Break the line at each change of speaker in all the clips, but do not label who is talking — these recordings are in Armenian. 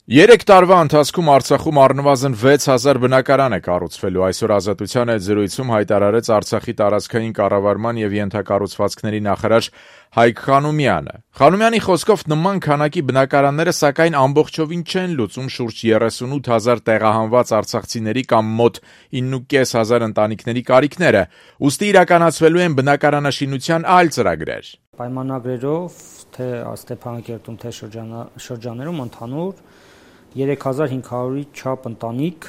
3 տարվա ընթացքում Արցախում առնվազն 6000 բնակարան է կառուցվելու։ Այսօր Ազատության հետ զրույցում հայտարարեց Արցախի տարածքային կառավարման եւ ենթակառուցվածքների նախարար Հայկ Խանոմյանը։ Խանոմյանի խոսքով նման քանակի բնակարանները սակայն ամբողջովին չեն լուծում շուրջ 38000 տեղահանված արցախցիների կամ մոտ 9500 ընտանիքների կարիքները, ուստի իրականացվելու են բնակարանաշինության այլ ծրագրեր։
Պայմանագրերով թե Ստեփանակերտում, թե շրջաներում ընդհանուր 3500-ի չափ ընտանիք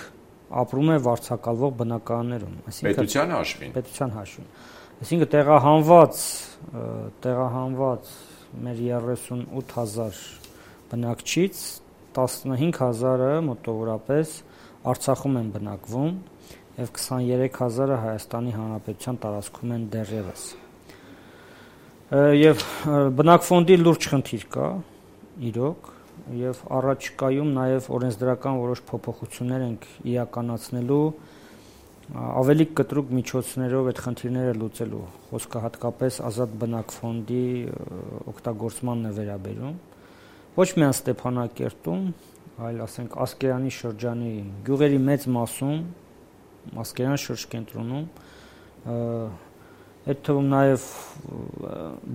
ապրում է վարձակալվող բնակարաններում,
պետության հաշվին։
Այսինքն տեղահանված մեր 38000 բնակչից 15000-ը մոտավորապես Արցախում են բնակվում եւ 23000-ը Հայաստանի Հանրապետության տարածքում են դեռևս։ Եվ բնակֆոնդի լուրջ խնդիր կա, իրոք, եւ առաջիկայում նաեւ օրենսդրական որոշ փոփոխություններ ենք իրականացնելու ավելի կտրուկ միջոցներով այդ խնդիրները լուծելու։ Խոսքը հատկապես ազատ բնակֆոնդի օգտագործմանն է վերաբերում։ Ոչ միայն Ստեփանակերտում, այլ ասենք Ասկերանի շրջանի գյուղերի մեծ մասում, Ասկերան շրջկենտրոնում, այդ թվում նաև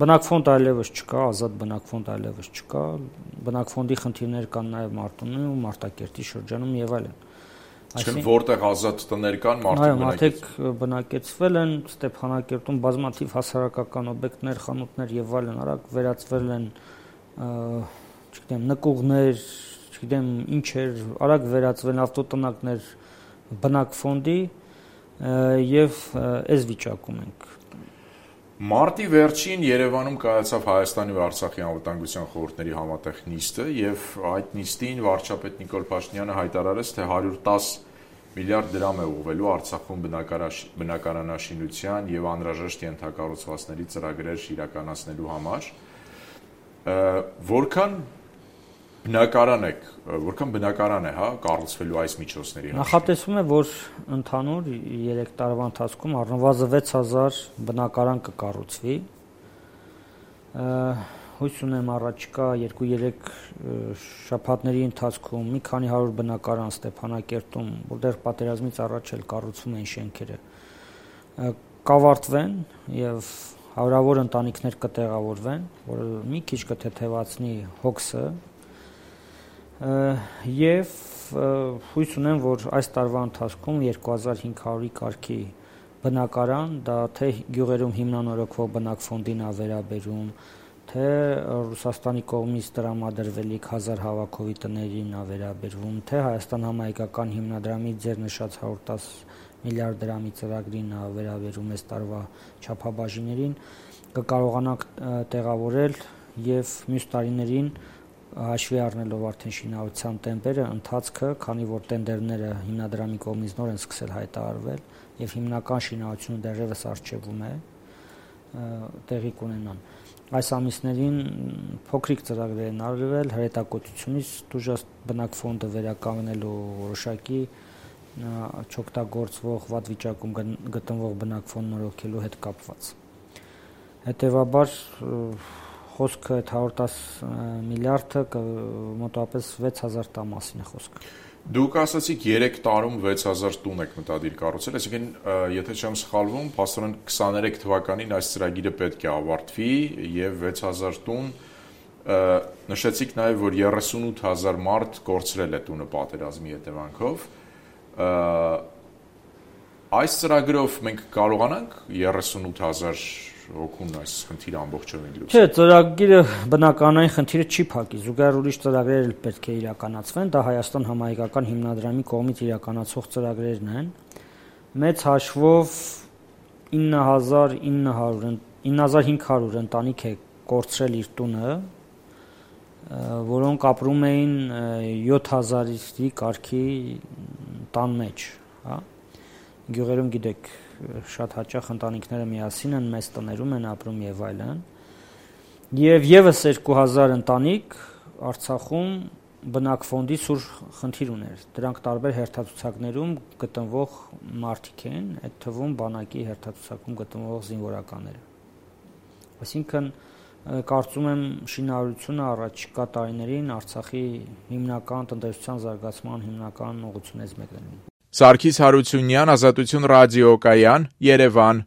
բնակֆոնդ այլևս չկա, ազատ բնակֆոնդ այլևս չկա, բնակֆոնդի խնդիրներ կան նաև Մարտունու, Մարտակերտի շրջանում եւ այլն։
Այսինքն որտեղ ազատ տներ կան,
մարդիկ բնակեցվել են, Ստեփանակերտում բազմաթիվ հասարակական օբյեկտներ, խանութներ եւ այլն արագ վերածվել են, չգիտեմ, նկուղներ, չգիտեմ ինչեր, արագ վերածվել ավտոտնակներ բնակֆոնդի եւ այս վիճակում ենք։
Մարտի վերջին Երևանում կայացավ Հայաստանի ու Արցախի անվտանգության խորհուրդների համատեղ նիստը եւ այդ նիստին վարչապետ Նիկոլ Փաշինյանը հայտարարեց, թե 110 միլիարդ դրամ է ուղղվելու Արցախում բնակարանաշինության եւ անհրաժեշտ ենթակառուցվածքների ծրագրեր իրականացնելու համար։ Որքան բնակարան է կառուցվելու այս միջոցների համար։
Նախատեսվում է, որ ընդհանուր 3 տարվա ընթացքում առնվազն 6000 բնակարան կկառուցվի։ Հույս ունեմ առաջիկա 2-3 շաբաթների ընթացքում մի քանի 100 բնակարան Ստեփանակերտում, որտեղ պատերազմից առաջ էլ կառուցվում էին շենքերը, կավարտվեն եւ հարյուրավոր ընտանիքներ կտեղավորվեն, որը մի քիչ կթեթևացնի հոգսը եւ հույս ունեմ, որ այս տարվա ընթացքում 2500-ի կարգի բնակարան, դա թե գյուղերում հիմնանորոգվող բնակֆոնդին է վերաբերում, թե Ռուսաստանի կողմից տրամադրվելիք 1000 հավաքովի տներին է վերաբերվում, թե Հայաստան համահայկական հիմնադրամի ձեր նշած 110 միլիարդ դրամի ծրագրին է վերաբերում այս տարվա չափաբաժիններին, կկարողանանք տեղավորել եւ մյուս տարիներին հաշվի առնելով արդեն շինարարության տեմպերը, ընթացքը, քանի որ տենդերները հիմնադրամի կողմից նոր են սկսել հայտարարվել եւ հիմնական շինարարությունը դեռևս արժևում է, տեղի կունենան։ Այս ամիսներին փոքրիկ ծրագրեր են արվել հրետակոծությունից դժվար բնակֆոնդը վերականգնելու որոշակի չօգտագործվող վատ վիճակում գտնվող բնակֆոնդ նորոգելու հետ կապված։ Հետևաբար խոսքը 110 միլիարդը մոտավորապես 6000 տան մասին է խոսքը։
Դուք ասացիք 3 տարում 6000 տուն եք մտադիր կառուցել, այսինքն եթե չեմ սխալվում, փաստորեն 23 թվականին այս ծրագիրը պետք է ավարտվի եւ 6000 տուն նշեցիք նաեւ, որ 38000 մարդ կորցրել է տունը պատերազմի հետևանքով։ Այս ծրագրով մենք կարողանանք 38000 օգուն այս խնդիրը ամբողջովին լուծել։
Չէ, ծրագիրը բնականային խնդիրը չի փակի, զուգահեռ ուրիշ ծրագրեր էլ պետք է իրականացվեն, դա Հայաստան համահայկական հիմնադրամի կողմից իրականացող ծրագրերն են։ Մեծ հաշվով 9500 ընտանիք է կորցրել իր տունը, որոնք ապրում էին 7000-ի կարգի տան մեջ, հա։ Գյուղերում գիտեք, շատ հաճախ ընտանիքները միասին են, մեծ տներում են ապրում եւ այլն։ Եվ եւս 2000 ընտանիք Արցախում բնակֆոնդի սուր խնդիր ուներ։ Դրանք տարբեր հերթացուցակներում գտնվող մարդիկ են, այդ թվում բանակի հերթացուցակում գտնվող զինվորականները։ Այսինքն կարծում եմ շինարարությունը առաջիկա տարիներին Արցախի հիմնական տնտեսության զարգացման հիմնական ուղղություններից մեկն է։
Սարգիս Հարությունյան, Ազատություն ռադիոկայան, Երևան։